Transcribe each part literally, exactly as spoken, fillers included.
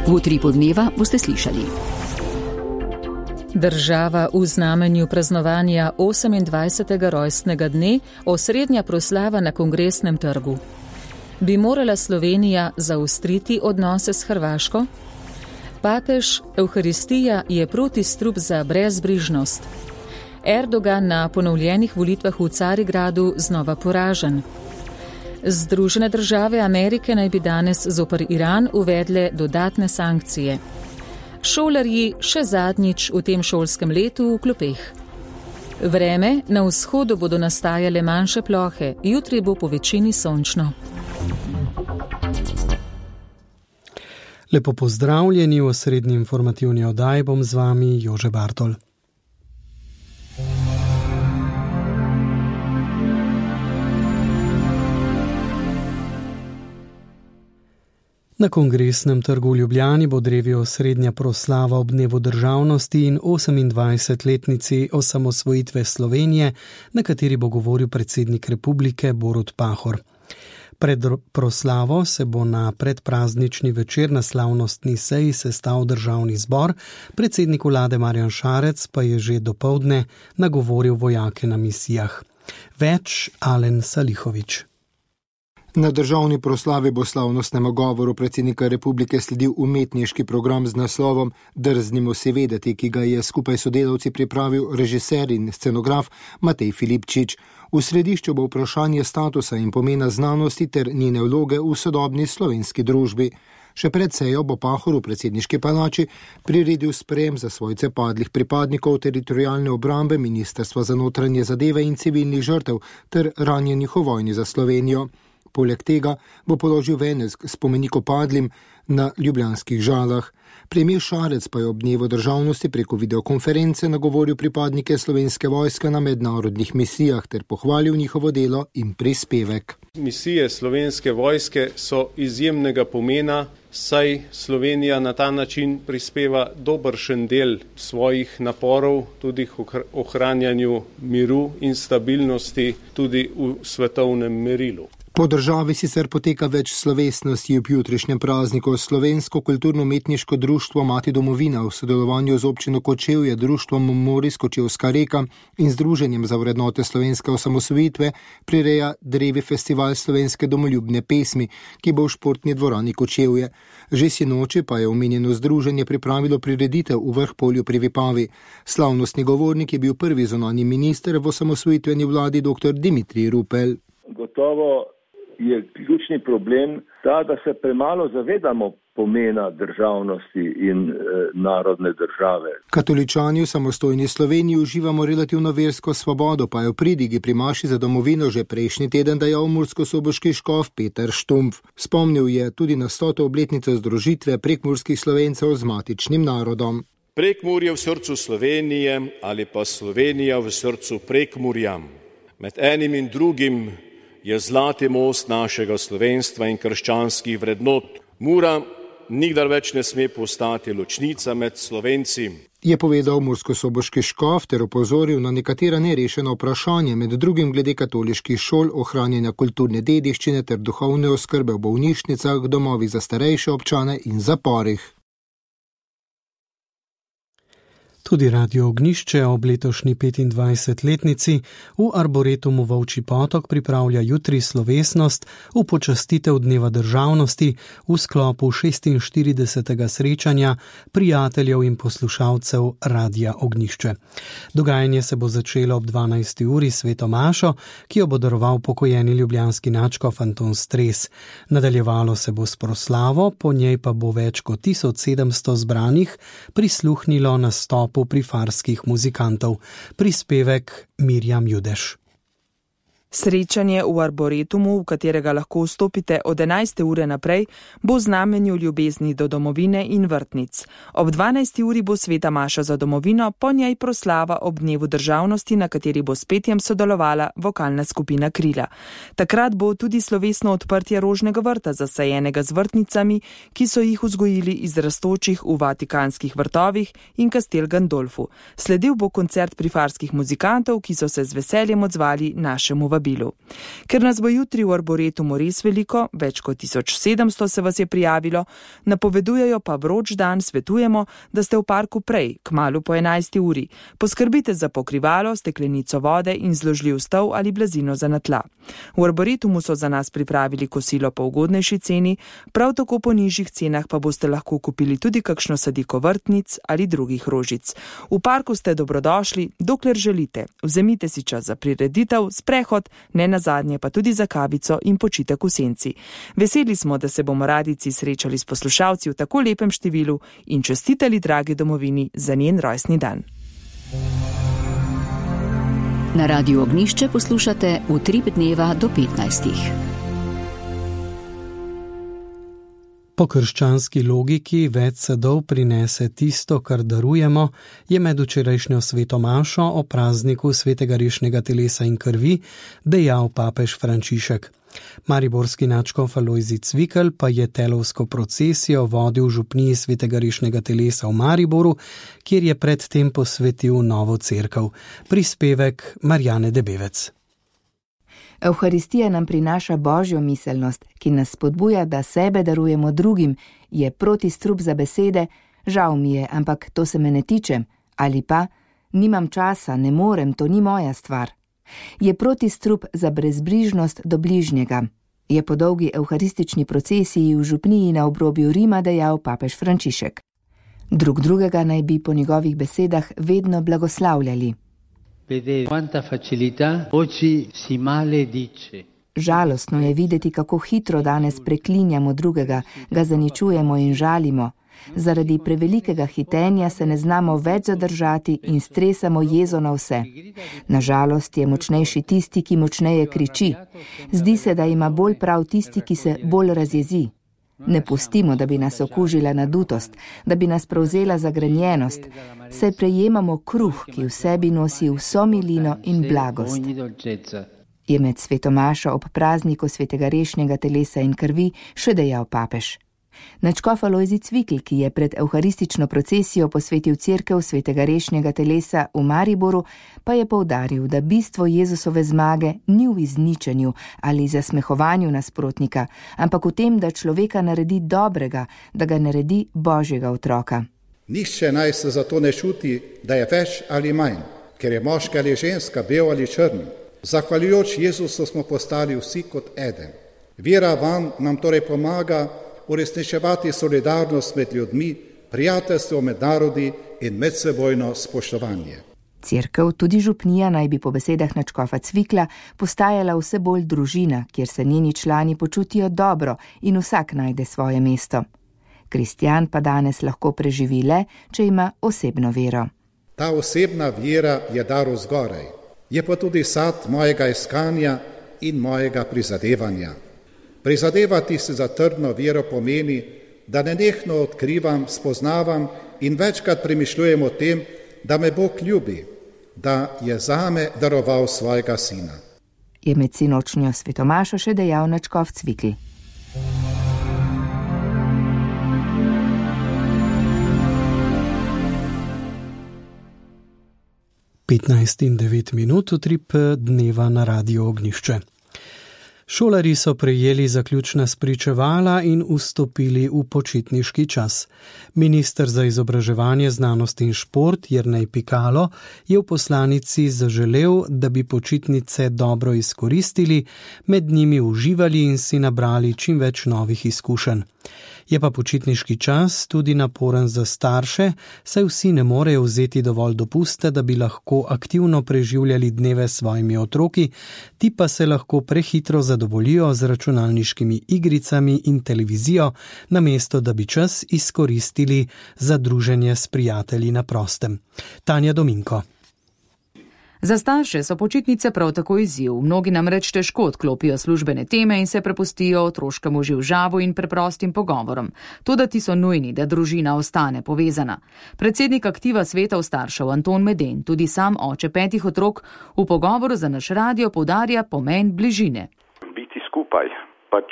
V utripu dneva boste slišali. Država v znamenju praznovanja osemindvajsetega rojstnega dne, osrednja proslava na Kongresnem trgu. Bi morala Slovenija zaostriti odnose s Hrvaško? Papež, Evharistija je protistrup za brezbrižnost. Erdogan na ponovljenih volitvah v Carigradu znova poražen. Združene države Amerike naj bi danes zoper Iran uvedle dodatne sankcije. Šolarji še zadnjič v tem šolskem letu v klopeh. Vreme, na vzhodu bodo nastajale manjše plohe, jutri bo po večini sončno. Lepo pozdravljeni v osrednji informativni oddaji, bom z vami Jože Bartol. Na Kongresnem trgu v Ljubljani bo drevijo osrednja proslava ob dnevu državnosti in osemindvajsetletnici osamosvojitve Slovenije, na kateri bo govoril predsednik republike Borut Pahor. Pred proslavo se bo na predpraznični večer na slavnostni seji sestal državni zbor, predsednik vlade Marjan Šarec pa je že dopoldne nagovoril vojake na misijah. Več Alen Salihović. Na državni proslavi bo slavnostnemu govoru predsednika republike sledil umetniški program z naslovom Drznimo si vedeti, ki ga je skupaj sodelavci pripravil režiser in scenograf Matej Filipčič. V središču bo vprašanje statusa in pomena znanosti ter njene vloge v sodobni slovenski družbi. Še pred sejo bo Pahor v predsedniški palači priredil sprejem za svojce padlih pripadnikov teritorialne obrambe, Ministrstva za notranje zadeve in civilnih žrtev ter ranjenih v vojni za Slovenijo. Poleg tega bo položil venec k spomeniku padlim na ljubljanskih Žalah. Premijer Šarec pa je ob dnevu državnosti preko videokonference nagovoril pripadnike Slovenske vojske na mednarodnih misijah ter pohvalil njihovo delo in prispevek. Misije Slovenske vojske so izjemnega pomena, saj Slovenija na ta način prispeva dobršen del svojih naporov tudi k ohranjanju miru in stabilnosti tudi v svetovnem merilu. Po državi sicer poteka več slovesnosti ob jutrišnjem prazniku. Slovensko kulturno-umetniško društvo Mati domovina v sodelovanju z občino Kočevje, društvom Moris Kočevska reka in Združenjem za vrednote slovenske osamosvojitve prireja drevi festival slovenske domoljubne pesmi, ki bo v športni dvorani Kočevje. Že sinoči pa je omenjeno združenje pripravilo prireditev v Vrhpolju pri Vipavi. Slavnostni govornik je bil prvi zunanji minister v osamosvojitveni vladi dr. Dimitrij Rupel. Gotovo je ključni problem ta, da se premalo zavedamo pomena državnosti in e, narodne države. Katoličani v samostojni Sloveniji uživamo relativno versko svobodo, pa je v pridigi pri maši za domovino že prejšnji teden dejal murskosoboški škof Peter Štumpf. Spomnil je tudi na stoto obletnico združitve prekmurskih Slovencev z matičnim narodom. Prekmurje v srcu Slovenije ali pa Slovenija v srcu Prekmurja. Med enim in drugim je zlati most našega slovenstva in krščanskih vrednot. Mura nikdar več ne sme postati ločnica med Slovenci. Je povedal murskosoboški škof ter opozoril na nekatera nerešena vprašanja, med drugim glede katoliških šol, ohranjanja kulturne dediščine ter duhovne oskrbe v bolnišnicah, domovih za starejše občane in zaporih. Tudi Radio Ognjišče ob letošnji petindvajsetletnici v Arboretumu Volčji Potok pripravlja jutri slovesnost v počastitev Dneva državnosti v sklopu šestinštiridesetega srečanja prijateljev in poslušalcev Radia Ognjišče. Dogajanje se bo začelo ob dvanajsti uri s sveto mašo, ki jo bo daroval pokojeni ljubljanski nadškof Anton Stres. Nadaljevalo se bo s proslavo, po njej pa bo več kot tisoč sedemsto zbranih prisluhnilo nastopu prifarskih muzikantov. Prispevek Mirjam Judeš. Srečanje v Arboretumu, v katerega lahko vstopite od enajste ure naprej, bo v znamenju ljubezni do domovine in vrtnic. Ob dvanajsti uri bo sveta maša za domovino, po njej proslava ob dnevu državnosti, na kateri bo s petjem sodelovala vokalna skupina Krila. Takrat bo tudi slovesno odprtje rožnega vrta, zasajenega z vrtnicami, ki so jih vzgojili iz rastočih v vatikanskih vrtovih in Castel Gandolfu. Sledil bo koncert prifarskih muzikantov, ki so se z veseljem odzvali našemu vrtu. povabilu. Ker nas bo jutri v Arboretumu res veliko, več kot tisoč sedemsto se vas je prijavilo, napovedujejo pa vroč dan, svetujemo, da ste v parku prej, kmalu po enajsti uri. Poskrbite za pokrivalo, steklenico vode in zložljiv stol ali blazino za na tla. V Arboretumu so za nas pripravili kosilo po ugodnejši ceni, prav tako po nižjih cenah pa boste lahko kupili tudi kakšno sadiko vrtnic ali drugih rožic. V parku ste dobrodošli, dokler želite. Vzemite si čas za prireditev, sprehod, ne nazadnje pa tudi za kavico in počitek v senci. Veseli smo, da se bomo radijci srečali s poslušalci v tako lepem številu in čestitali dragi domovini za njen rojstni dan. Na Radiu Ognjišče poslušate Utrip dneva do petnajstih. Po krščanski logiki več sadov prinese tisto, kar darujemo, je med včerajšnjo sveto mašo o prazniku svetega rešnega telesa in krvi dejal papež Frančišek. Mariborski nadškof Alojzij Cvikl pa je telovsko procesijo vodil v župniji svetega rešnega telesa v Mariboru, kjer je predtem posvetil novo cerkev. Prispevek Marjane Debevec. Evharistija nam prinaša božjo miselnost, ki nas spodbuja, da sebe darujemo drugim, je protistrup za besede, žal mi je, ampak to se me ne tiče, ali pa nimam časa, ne morem, to ni moja stvar. Je protistrup za brezbrižnost do bližnjega, je po dolgi evharistični procesiji v župniji na obrobju Rima dejal papež Frančišek. Drug drugega naj bi po njegovih besedah vedno blagoslavljali. Žalostno je videti, kako hitro danes preklinjamo drugega, ga zaničujemo in žalimo. Zaradi prevelikega hitenja se ne znamo več zadržati in stresamo jezo na vse. Nažalost je močnejši tisti, ki močneje kriči. Zdi se, da ima bolj prav tisti, ki se bolj razjezi. Ne pustimo, da bi nas okužila nadutost, da bi nas prevzela zagrenjenost, saj prejemamo kruh, ki v sebi nosi vso milino in blagost. Je med svetomašo ob prazniku svetega rešnega telesa in krvi še dejal papež. Nadškof Alojzij Cvikl, ki je pred evharistično procesijo posvetil cerkev svetega rešnega telesa v Mariboru, pa je poudaril, da bistvo Jezusove zmage ni v izničenju ali zasmehovanju nasprotnika, ampak v tem, da človeka naredi dobrega, da ga naredi božjega otroka. Nihče naj se zato ne čuti, da je več ali manj, ker je moški ali ženska, bel ali črn. Zahvaljujoč Jezusu smo postali vsi kot eden. Vera vam nam torej pomaga uresničevati solidarnost med ljudmi, prijateljstvo med narodi in medsebojno spoštovanje. Cerkev, tudi župnija, naj bi po besedah nadškofa Cvikla postajala vse bolj družina, kjer se njeni člani počutijo dobro in vsak najde svoje mesto. Kristjan pa danes lahko preživi le, če ima osebno vero. Ta osebna vera je dar vzgoraj, je pa tudi sad mojega iskanja in mojega prizadevanja. Prizadevati se za trdno vero pomeni, da nenehno odkrivam, spoznavam in večkrat premišljujem o tem, da me Bog ljubi, da je zame daroval svojega sina. Je med sinočnjo svetomašo še dejal nadškof Cvikl. petnajst in devet minut, utrip dneva na Radiu Ognjišče. Šolarji so prejeli zaključna spričevala in vstopili v počitniški čas. Minister za izobraževanje, znanost in šport Jernej Pikalo je v poslanici zaželel, da bi počitnice dobro izkoristili, med njimi uživali in si nabrali čim več novih izkušenj. Je pa počitniški čas tudi naporen za starše, saj vsi ne morejo vzeti dovolj dopusta, da bi lahko aktivno preživljali dneve s svojimi otroki, ti pa se lahko prehitro zadovoljijo z računalniškimi igricami in televizijo, namesto da bi čas izkoristili za druženje s prijatelji na prostem. Tanja Dominko. Za starše so počitnice prav tako izziv. Mnogi namreč težko odklopijo službene teme in se prepustijo otroškemu živžavu in preprostim pogovorom. Toda ti so nujni, da družina ostane povezana. Predsednik aktiva svetov staršev Anton Meden, tudi sam oče petih otrok, v pogovoru za naš radio poudarja pomen bližine. Biti skupaj, pač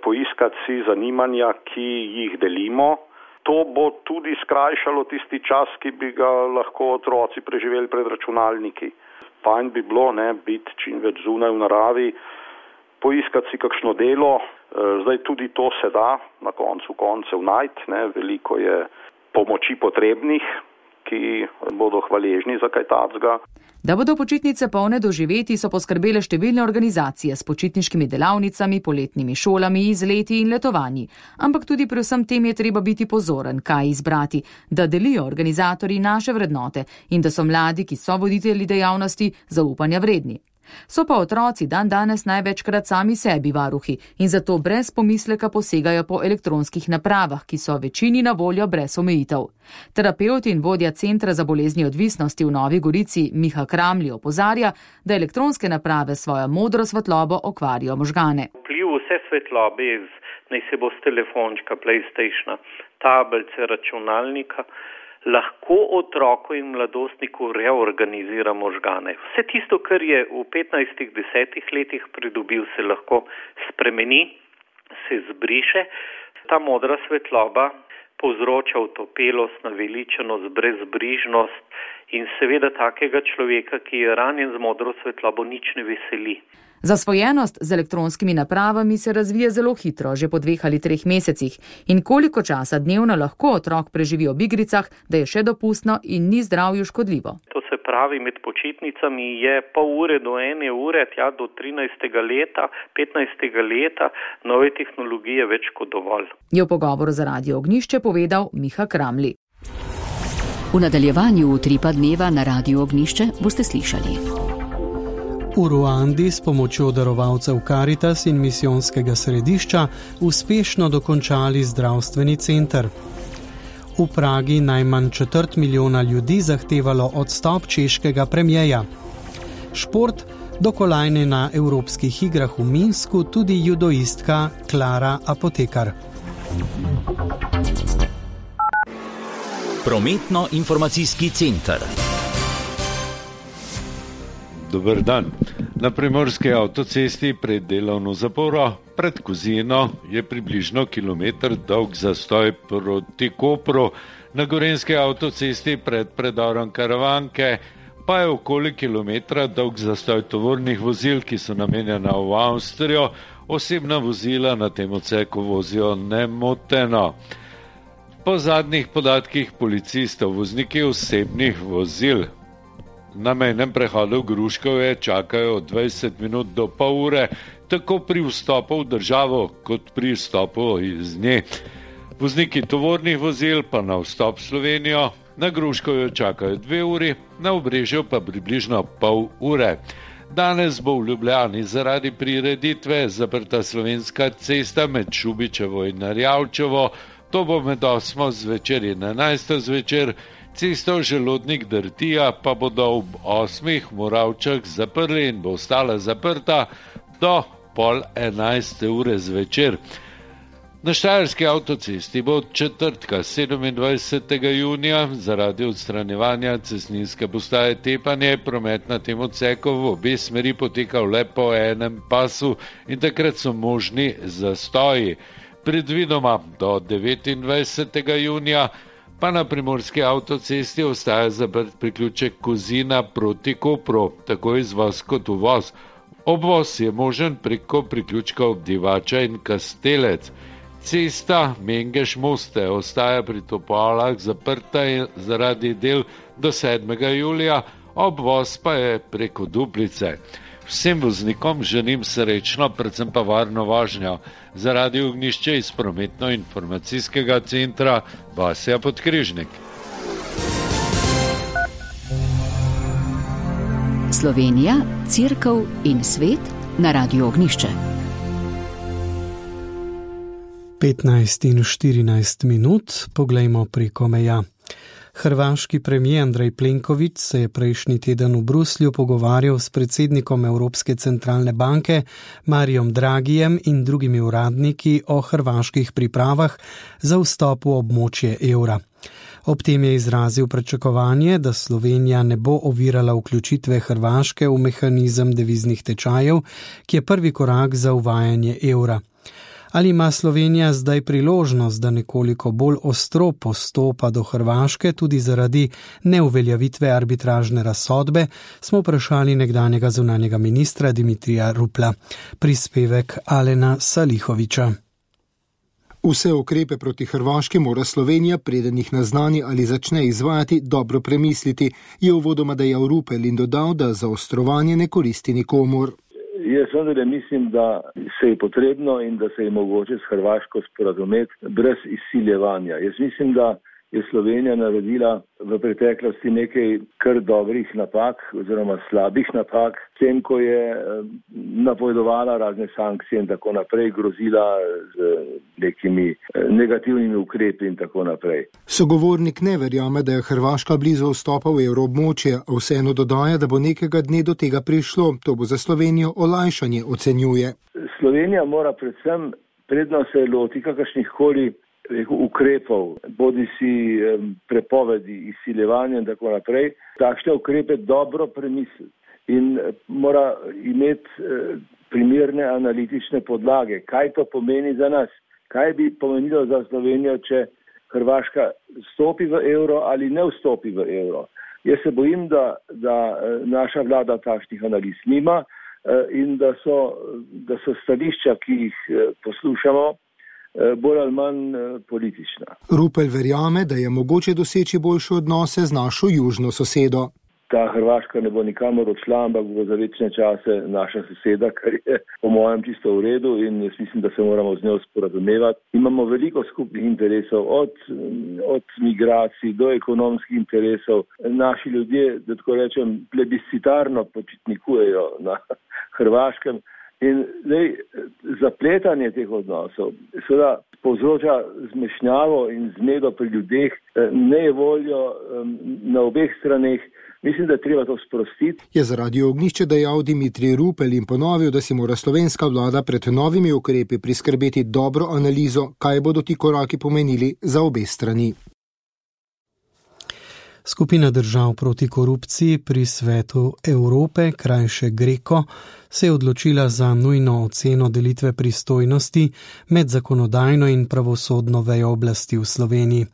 poiskati si zanimanja, ki jih delimo. To bo tudi skrajšalo tisti čas, ki bi ga lahko otroci preživeli pred računalniki. Fajn bi bilo, ne, biti čim več zunaj v naravi, poiskati si kakšno delo. Zdaj tudi to se da na koncu koncev najti, ne, veliko je pomoči potrebnih, ki bodo hvaležni za kaj takega. Da bodo počitnice polne doživeti, so poskrbele številne organizacije s počitniškimi delavnicami, poletnimi šolami, izleti in letovanji. Ampak tudi pri vsem tem je treba biti pozoren, kaj izbrati, da delijo organizatorji naše vrednote in da so mladi, ki so voditelji dejavnosti, zaupanja vredni. So pa otroci dan danes največkrat sami sebi varuhi in zato brez pomisleka posegajo po elektronskih napravah, ki so večini na voljo brez omejitev. Terapevt in vodja Centra za bolezni odvisnosti v Novi Gorici Miha Kramli opozarja, da elektronske naprave svojo modro svetlobo okvarijo možgane. Vpliv vse svetlobe, naj se bo s telefončka, PlayStationa, tablice, računalnika, lahko otroku in mladostniku reorganizira možgane. Vse tisto, kar je v petnajstih, desetih letih pridobil, se lahko spremeni, se zbriše. Ta modra svetloba povzroča utopelost, naveličenost, brezbrižnost in seveda takega človeka, ki je ranjen z modro svetlobo, nič ne veseli. Zasvojenost z elektronskimi napravami se razvije zelo hitro, že po dveh ali treh mesecih. In koliko časa dnevno lahko otrok preživi ob igricah, da je še dopustno in ni zdravju škodljivo. To se pravi, med počitnicami je pol ure do ene ure, tja do trinajstega leta, petnajstega leta, nove tehnologije več kot dovolj. Je v pogovoru za Radio Ognjišče povedal Miha Kramli. V nadaljevanju Utripa dneva na Radio Ognjišče boste slišali. V Ruandi s pomočjo darovalcev Karitas in misijonskega središča uspešno dokončali zdravstveni center. V Pragi najmanj četrt milijona ljudi zahtevalo odstop češkega premijeja. Šport, do kolajne na evropskih igrah v Minsku tudi judoistka Klara Apotekar. Prometno-informacijski center. Dober dan. Na primorski avtocesti pred delovno zaporo pred Kozino je približno kilometer dolg zastoj proti Kopru. Na gorenski avtocesti pred predorom Karavanke pa je okoli kilometra dolg zastoj tovornih vozil, ki so namenjena v Avstrijo. Osebna vozila na tem odseku vozijo nemoteno. Po zadnjih podatkih policistov vozniki osebnih vozil na mejnem prehodu Gruškovje čakajo od dvajset minut do pol ure, tako pri vstopu v državo, kot pri vstopu iz nje. Vozniki tovornih vozil pa na vstop v Slovenijo na Gruškovju čakajo dve uri, na Obrežju pa približno pol ure. Danes bo v Ljubljani zaradi prireditve zaprta Slovenska cesta med Šubičevo in Narjavčevo. To bo med osmo zvečer in enajsto zvečer. Cesto Želodnik-Drtija pa bodo ob osmih Moravčah zaprli in bo ostala zaprta do pol enajste ure zvečer. Na Štajerski avtocesti bo od četrtka sedemindvajsetega junija zaradi odstranjevanja cestninske postaje Tepanje promet na tem odseku v obe smeri potekal le po enem pasu in takrat so možni zastoji. Predvidoma do devetindvajsetega junija pa na primorski avtocesti ostaja zaprt priključek Kozina proti Kopru, tako izvoz kot uvoz. Obvoz je možen preko priključkov Divača in Kastelec. Cesta Mengeš-Moste ostaja pri Topolah zaprta zaradi del do sedmega julija, obvoz pa je preko Duplice. Vsem voznikom želim srečno, predvsem pa varno vožnjo. Za Radio Ognjišče iz prometno-informacijskega centra Vasja Podkrižnik. Slovenija, Cerkev in svet na Radio Ognjišče. petnajst in štirinajst minut, poglejmo preko meja. Hrvaški premijer Andrej Plenković se je prejšnji teden v Bruslju pogovarjal s predsednikom Evropske centralne banke Marijom Dragijem in drugimi uradniki o hrvaških pripravah za vstop v območje evra. Ob tem je izrazil pričakovanje, da Slovenija ne bo ovirala vključitve Hrvaške v mehanizem deviznih tečajev, ki je prvi korak za uvajanje evra. Ali ima Slovenija zdaj priložnost, da nekoliko bolj ostro postopa do Hrvaške tudi zaradi neuveljavitve arbitražne razsodbe, smo vprašali nekdanjega zunanjega ministra Dimitrija Rupla. Prispevek Alena Salihoviča. Vse ukrepe proti Hrvaški mora Slovenija, preden jih naznani ali začne izvajati, dobro premisliti, je uvodoma dejal Rupel in dodal, da zaostrovanje ne koristi nikomur. Jaz vendar mislim, da se je potrebno in da se je mogoče s Hrvaško sporazumeti brez izsiljevanja. Jaz mislim, da je Slovenija naredila v preteklosti nekaj kar dobrih napak oziroma slabih napak, s tem, ko je napovedovala razne sankcije in tako naprej, grozila z nekimi negativnimi ukrepi in tako naprej. Sogovornik ne verjame, da je Hrvaška blizu vstopa v evroobmočje, a vseeno dodaja, da bo nekega dne do tega prišlo. To bo za Slovenijo olajšanje, ocenjuje. Slovenija mora predvsem, predno se loti kakršnih koli ukrepov, bodi si prepovedi, izsiljevanja in tako naprej, takšne ukrepe dobro premisliti in mora imeti primerne analitične podlage. Kaj to pomeni za nas? Kaj bi pomenilo za Slovenijo, če Hrvaška vstopi v evro ali ne vstopi v evro? Jaz se bojim, da, da naša vlada takšnih analiz nima in da so, da so stališča, ki jih poslušamo, bolj ali manj politična. Rupel verjame, da je mogoče doseči boljše odnose z našo južno sosedo. Ta Hrvaška ne bo nikamor odšla, ampak bo za večne čase naša soseda, kar je po mojem čisto v redu in jaz mislim, da se moramo z njo sporazumevati. Imamo veliko skupnih interesov, od, od migracij do ekonomskih interesov. Naši ljudje, da tako rečem, plebiscitarno počitnikujejo na Hrvaškem. In zdaj, zapletanje teh odnosov seveda povzroča zmešnjavo in zmedo pri ljudeh, nejevoljo na obeh straneh. Mislim, da je treba to sprostiti. Je za Radio Ognjišče dejal Dimitrij Rupel in ponovil, da si mora slovenska vlada pred novimi ukrepi priskrbeti dobro analizo, kaj bodo ti koraki pomenili za obe strani. Skupina držav proti korupciji pri Svetu Evrope, krajše Greko, se je odločila za nujno oceno delitve pristojnosti med zakonodajno in pravosodno vejo oblasti v Sloveniji.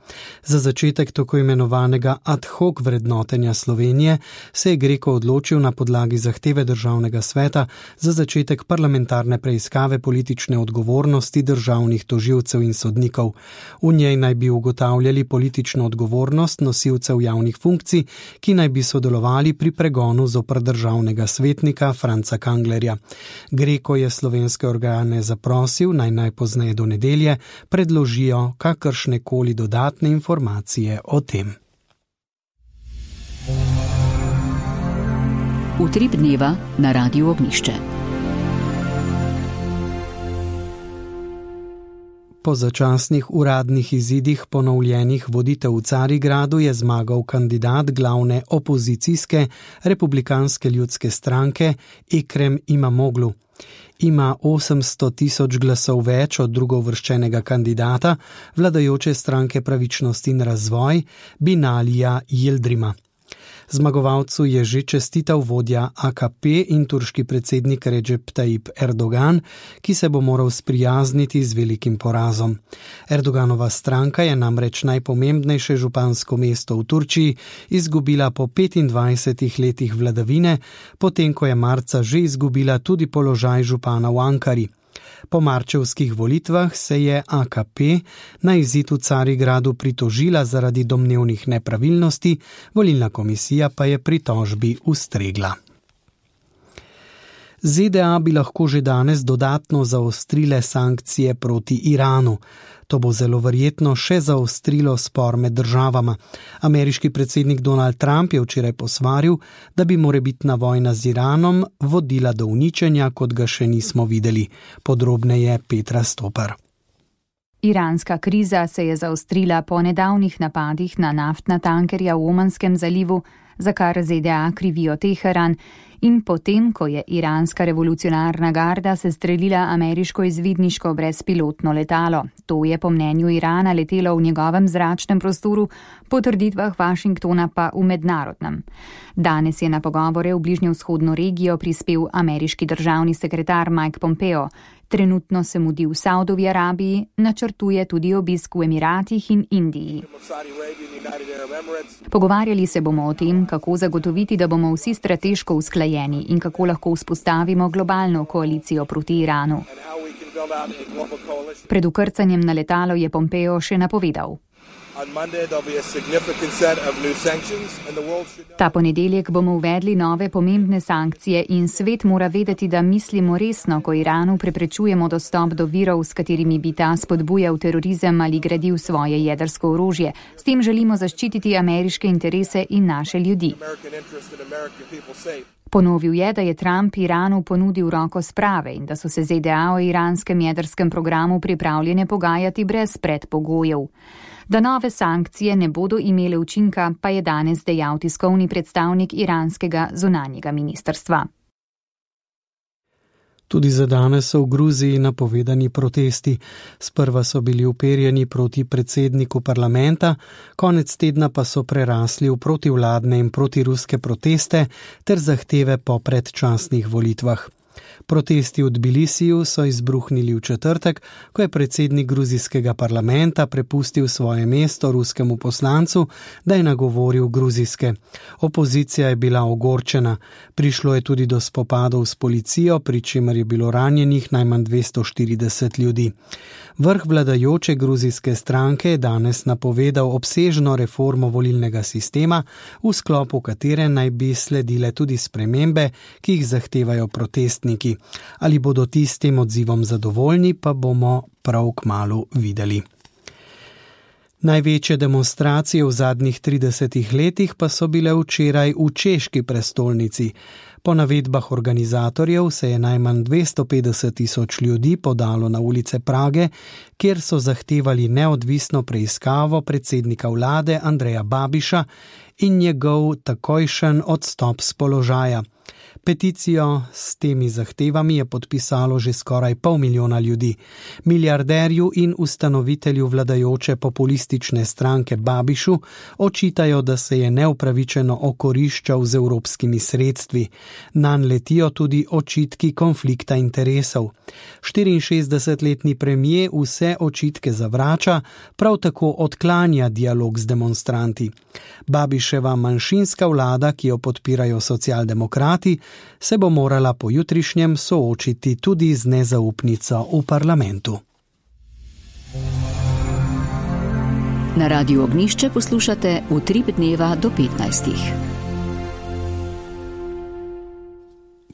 Za začetek tako imenovanega ad hoc vrednotenja Slovenije se je Greko odločil na podlagi zahteve Državnega sveta za začetek parlamentarne preiskave politične odgovornosti državnih tožilcev in sodnikov. V njej naj bi ugotavljali politično odgovornost nosilcev javnih funkcij, ki naj bi sodelovali pri pregonu zoper državnega svetnika Franca Kanglerja. Greko je slovenske organe zaprosil, naj najpozneje do nedelje predložijo kakršne koli dodatne informacije o tem. Utrip dneva na Radiu Ognjišče. Po začasnih uradnih izidih ponovljenih volitev v Carigradu je zmagal kandidat glavne opozicijske republikanske ljudske stranke Ekrem Imamoglu. Ima osemsto tisoč glasov več od drugouvrščenega kandidata vladajoče stranke Pravičnost in razvoj Binalija Yildirima. Zmagovalcu je že čestital vodja A K P in turški predsednik Recep Tayyip Erdogan, ki se bo moral sprijazniti z velikim porazom. Erdoganova stranka je namreč najpomembnejše župansko mesto v Turčiji izgubila po petindvajsetih letih vladavine, potem ko je marca že izgubila tudi položaj župana v Ankari. Po marčevskih volitvah se je A K P na izid v Carigradu pritožila zaradi domnevnih nepravilnosti, volilna komisija pa je pritožbi ustregla. Z D A bi lahko že danes dodatno zaostrile sankcije proti Iranu. To bo zelo verjetno še zaostrilo spor med državama. Ameriški predsednik Donald Trump je včeraj posvaril, da bi morebitna vojna z Iranom vodila do uničenja, kot ga še nismo videli. Podrobneje Petra Stopar. Iranska kriza se je zaostrila po nedavnih napadih na naftna tankerja v Omanskem zalivu, za kar Z D A krivijo Teheran, in potem, ko je iranska revolucionarna garda sestrelila ameriško izvidniško brezpilotno letalo. To je po mnenju Irana letelo v njegovem zračnem prostoru, po trditvah Washingtona pa v mednarodnem. Danes je na pogovore v bližnjevzhodno regijo prispel ameriški državni sekretar Mike Pompeo. Trenutno se mudi v Saudovi Arabiji, načrtuje tudi obisk v Emiratih in Indiji. Pogovarjali se bomo o tem, kako zagotoviti, da bomo vsi strateško usklajeni in kako lahko vzpostavimo globalno koalicijo proti Iranu. Pred ukrcanjem na letalo je Pompeo še napovedal. Ta ponedeljek bomo uvedli nove pomembne sankcije in svet mora vedeti, da mislimo resno, ko Iranu preprečujemo dostop do virov, s katerimi bi ta spodbujal terorizem ali gradil svoje jedrsko orožje. S tem želimo zaščititi ameriške interese in naše ljudi. Ponovil je, da je Trump Iranu ponudil roko sprave in da so se Z D A o iranskem jedrskem programu pripravljene pogajati brez predpogojev. Da nove sankcije ne bodo imele učinka, pa je danes dejal tiskovni predstavnik iranskega zunanjega ministrstva. Tudi za danes so v Gruziji napovedani protesti. Sprva so bili uperjeni proti predsedniku parlamenta, konec tedna pa so prerasli v protivladne in protiruske proteste ter zahteve po predčasnih volitvah. Protesti v Tbilisiju so izbruhnili v četrtek, ko je predsednik gruzijskega parlamenta prepustil svoje mesto ruskemu poslancu, da je nagovoril gruzijske. Opozicija je bila ogorčena. Prišlo je tudi do spopadov s policijo, pri čemer je bilo ranjenih najmanj dvesto štirideset ljudi. Vrh vladajoče gruzijske stranke je danes napovedal obsežno reformo volilnega sistema, v sklopu katere naj bi sledile tudi spremembe, ki jih zahtevajo protestniki. Ali bodo ti s tem odzivom zadovoljni, pa bomo prav kmalu videli. Največje demonstracije v zadnjih tridesetih letih pa so bile včeraj v češki prestolnici. Po navedbah organizatorjev se je najmanj dvesto petdeset tisoč ljudi podalo na ulice Prage, kjer so zahtevali neodvisno preiskavo predsednika vlade Andreja Babiša in njegov takojšen odstop s položaja. Peticijo s temi zahtevami je podpisalo že skoraj pol milijona ljudi. Milijarderju in ustanovitelju vladajoče populistične stranke Babišu očitajo, da se je neupravičeno okoriščal z evropskimi sredstvi. Nanj letijo tudi očitki konflikta interesov. štiriinšestdesetletni premier vse očitke zavrača, prav tako odklanja dialog z demonstranti. Babiševa manjšinska vlada, ki jo podpirajo socialdemokrati, se bo morala po jutrišnjem soočiti tudi z nezaupnico v parlamentu. Na Radiu Ognišče poslušate Utrip dneva do petnajstih.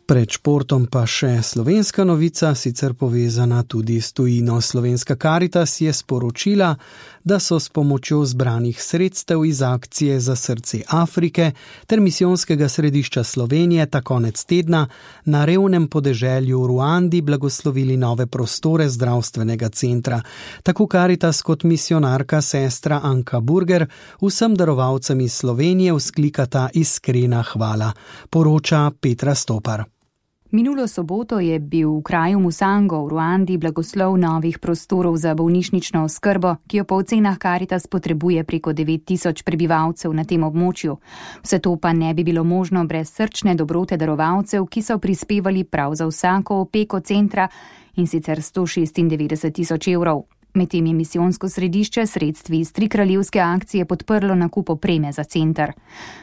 Pred športom pa še slovenska novica, sicer povezana tudi s tujino. Slovenska Karitas je sporočila, da so s pomočjo zbranih sredstev iz akcije Za srce Afrike ter misijonskega središča Slovenije ta konec tedna na revnem podeželju v Ruandi blagoslovili nove prostore zdravstvenega centra. Tako Karitas kot misionarka sestra Anka Burger vsem darovalcem iz Slovenije vzklikata iskrena hvala, poroča Petra Stopar. Minulo soboto je bil v kraju Musango v Ruandi blagoslov novih prostorov za bolnišnično oskrbo, ki jo po ocenah Karitas potrebuje preko devet tisoč prebivalcev na tem območju. Vse to pa ne bi bilo možno brez srčne dobrote darovalcev, ki so prispevali prav za vsako opeko centra, in sicer sto šestindevetdeset tisoč evrov. Medtem je misijonsko središče sredstvi iz trikraljevske akcije podprlo nakup opreme za center.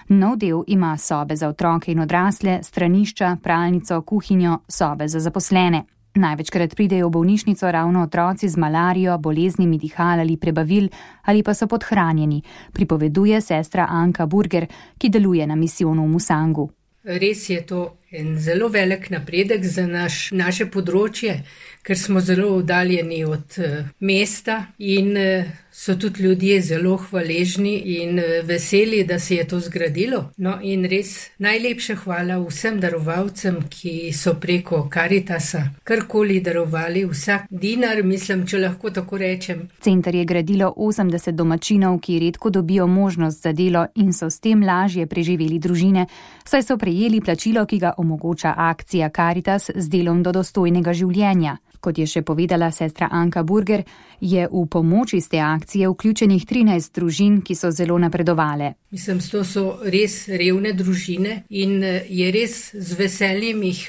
Nov del ima sobe za otroke in odrasle, stranišča, pralnico, kuhinjo, sobe za zaposlene. Največkrat pridejo v bolnišnico ravno otroci z malarijo, boleznimi dihal ali prebavil ali pa so podhranjeni, pripoveduje sestra Anka Burger, ki deluje na misijonu v Musangu. Res je to en zelo velik napredek za naš, naše področje, ker smo zelo oddaljeni od uh, mesta in uh, so tudi ljudje zelo hvaležni in uh, veseli, da se je to zgradilo. No in res najlepša hvala vsem darovalcem, ki so preko Karitasa karkoli darovali, vsak dinar, mislim, če lahko tako rečem. Center je gradilo osemdeset domačinov, ki redko dobijo možnost za delo in so s tem lažje preživeli družine, saj so prejeli plačilo, ki ga omogoča akcija Karitas z delom do dostojnega življenja. Kot je še povedala sestra Anka Burger, je v pomoč iz te akcije vključenih trinajst družin, ki so zelo napredovale. Mislim, to so res revne družine in je res z veseljem jih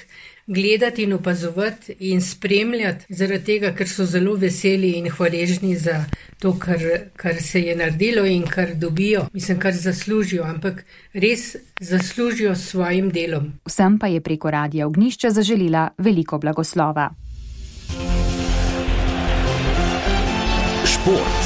gledati in opazovati in spremljati, zaradi tega, ker so zelo veseli in hvaležni za to, kar, kar se je naredilo in kar dobijo, mislim, kar zaslužijo, ampak res zaslužijo s svojim delom. Vsem pa je preko Radia Ognjišče zaželila veliko blagoslova. Šport.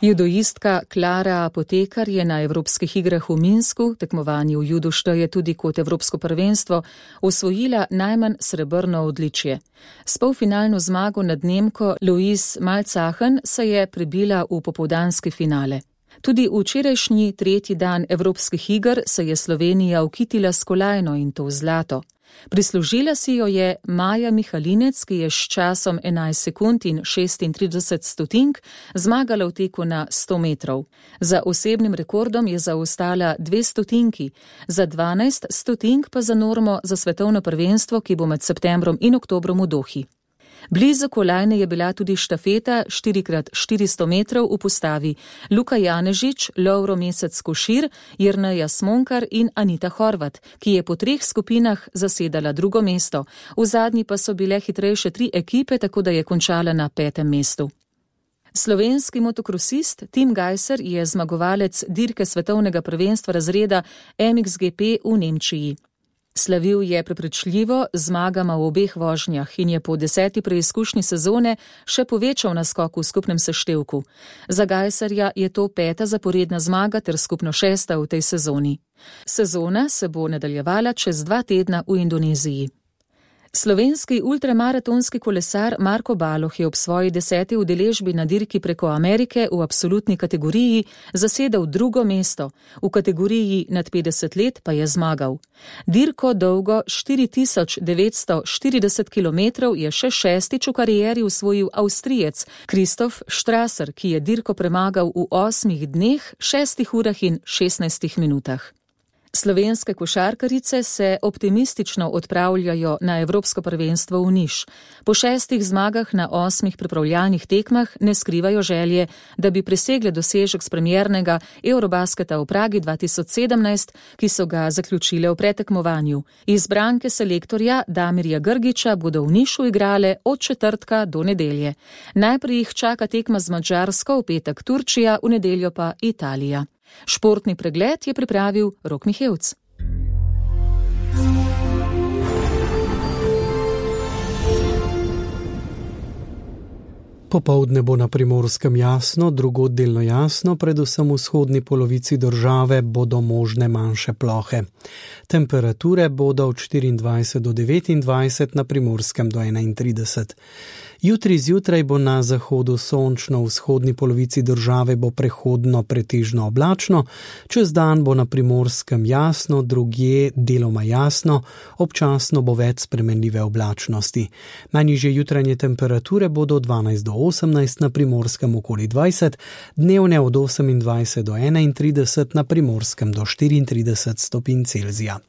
Judoistka Klara Apotekar je na Evropskih igrah v Minsku, tekmovanje v judu šteje tudi kot Evropsko prvenstvo, osvojila najmanj srebrno odličje. S polfinalno zmago nad Nemko Louise Malzachen se je prebila v popoldanski finale. Tudi včerajšnji tretji dan Evropskih iger se je Slovenija ukitila s kolajno in to zlato. Prislužila si jo je Maja Mihalinec, ki je s časom enajst sekund in šestintrideset stotink zmagala v teku na sto metrov. Za osebnim rekordom je zaostala dve stotinki, za dvanajst stotink pa za normo za svetovno prvenstvo, ki bo med septembrom in oktobrom v Dohi. Blizu kolajne je bila tudi štafeta štiri krat štiristo metrov v postavi Luka Janežič, Lovro Mesec Košir, Jerneja Smonkar in Anita Horvat, ki je po treh skupinah zasedala drugo mesto. V zadnji pa so bile hitrejše tri ekipe, tako da je končala na petem mestu. Slovenski motokrosist Tim Gajser je zmagovalec dirke svetovnega prvenstva razreda M X G P v Nemčiji. Slavil je prepričljivo zmagama v obeh vožnjah in je po deseti preizkušnji sezone še povečal naskok v skupnem seštevku. Za Gajserja je to peta zaporedna zmaga ter skupno šesta v tej sezoni. Sezona se bo nadaljevala čez dva tedna v Indoneziji. Slovenski ultramaratonski kolesar Marko Baloh je ob svoji deseti udeležbi na dirki preko Amerike v absolutni kategoriji zasedel drugo mesto, v kategoriji nad petdeset let pa je zmagal. Dirko dolgo štiri tisoč devetsto štirideset kilometrov je še šestič v karieri usvojil Avstrijec Christoph Strasser, ki je dirko premagal v osmih dneh, šestih urah in šestnajstih minutah. Slovenske košarkarice se optimistično odpravljajo na Evropsko prvenstvo v Niš. Po šestih zmagah na osmih pripravljalnih tekmah ne skrivajo želje, da bi presegle dosežek s premiernega Eurobasketa v Pragi dva tisoč sedemnajst, ki so ga zaključile v pretekmovanju. Izbranke selektorja Damirja Grgiča bodo v Nišu igrale od četrtka do nedelje. Najprej jih čaka tekma z Madžarsko, v petek Turčija, v nedeljo pa Italija. Športni pregled je pripravil Rok Mihevc. Popoldne bo na Primorskem jasno, drugod delno jasno, predvsem v vzhodni polovici države bodo možne manjše plohe. Temperature bodo od štiriindvajset do devetindvajset, na Primorskem do enaintrideset. Jutri zjutraj bo na zahodu sončno, v vzhodni polovici države bo prehodno pretežno oblačno, čez dan bo na Primorskem jasno, drugje deloma jasno, občasno bo več spremenljive oblačnosti. Najnižje jutranje temperature bodo od dvanajst do osemnajst, na Primorskem okoli dvajset, dnevne od osemindvajset do enaintrideset, na Primorskem do štiriintrideset stopinj Celzija.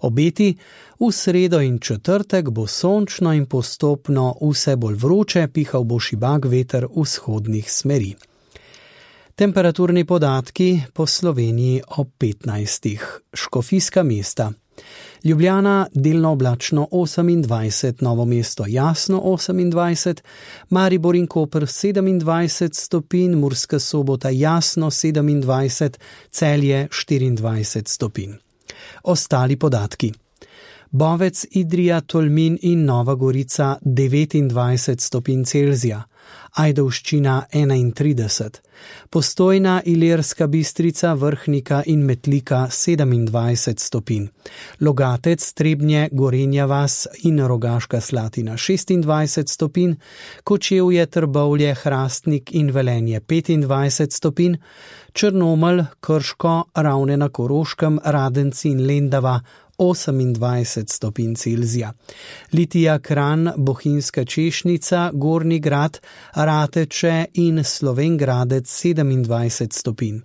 Obeti: v sredo in četrtek bo sončno in postopno vse bolj vroče, pihal bo šibak veter vzhodnih smeri. Temperaturni podatki po Sloveniji ob petnajstih. Škofijska mesta. Ljubljana delno oblačno osemindvajset, Novo mesto jasno osemindvajset, Maribor in Koper sedemindvajset stopinj, Murska Sobota jasno sedemindvajset, Celje štiriindvajset stopinj. Ostali podatki. Bovec, Idrija, Tolmin in Nova Gorica devetindvajset stopinj Celzija, Ajdovščina enaintrideset, Postojna, Ilirska Bistrica, Vrhnika in Metlika sedemindvajset stopinj, Logatec, Trebnje, Gorenja vas in Rogaška Slatina šestindvajset stopinj, Kočevje, Trbovlje, Hrastnik in Velenje petindvajset stopinj, Črnomelj, Krško, Ravne na Koroškem, Radenci in Lendava osemindvajset stopinj Celzija, Litija, Kranj, Bohinjska Češnica, Gornji Grad, Rateče in Slovengradec sedemindvajset stopinj.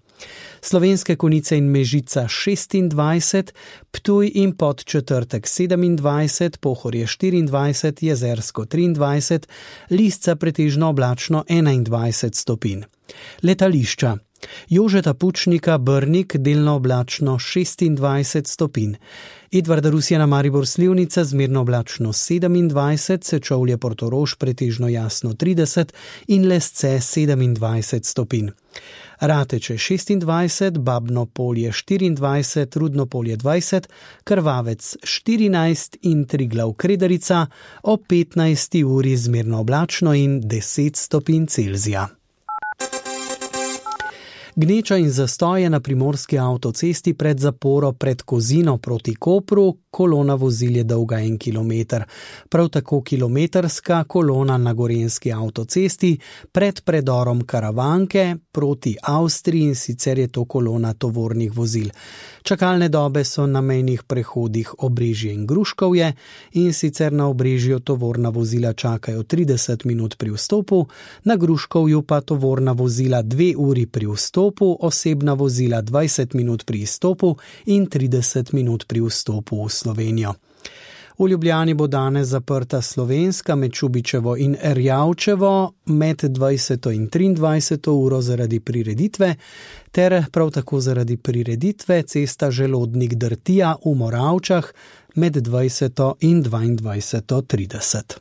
Slovenske Konjice in Mežica šestindvajset, Ptuj in Podčetrtek sedemindvajset, Pohorje štiriindvajset, Jezersko triindvajset, Lisca pretežno oblačno enaindvajset stopinj. Letališča. Jožeta Pučnika Brnik delno oblačno šestindvajset stopinj. Edvarda Rusjana Maribor Slivnica zmerno oblačno sedemindvajset, Sečovlje Portorož pretežno jasno trideset in Lesce sedemindvajset stopinj. Rateče šestindvajset, Babno Polje štiriindvajset, Rudno Polje dvajset, Krvavec štirinajst in Triglav Kredarica ob petnajsti uri zmerno oblačno in deset stopinj Celzija. Gneča in zastoje na primorski avtocesti pred zaporo pred Kozino proti Kopru, kolona vozil je dolga en kilometer. Prav tako kilometrska kolona na gorenjski avtocesti pred predorom Karavanke proti Avstriji, in sicer je to kolona tovornih vozil. Čakalne dobe so na mejnih prehodih Obrežje in Gruškovje, in sicer na Obrežju tovorna vozila čakajo trideset minut pri vstopu, na Gruškovju pa tovorna vozila dve uri pri vstopu, osebna vozila dvajset minut pri izstopu in trideset minut pri vstopu v Slovenijo. V Ljubljani bo danes zaprta Slovenska med Čubičevo in Erjavčevo med dvajseto in triindvajseto uro zaradi prireditve, ter prav tako zaradi prireditve cesta Želodnik-Drtija v Moravčah med dvajseto in dvaindvajseto trideset.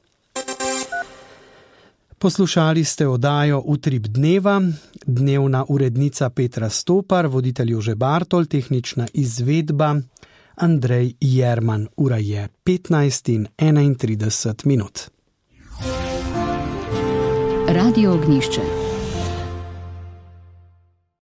Poslušali ste oddajo Utrip dneva, dnevna urednica Petra Stopar, voditelj Jože Bartol, tehnična izvedba Andrej Jerman. Ura je petnajst in enaintrideset minut. Radio Ognjišče.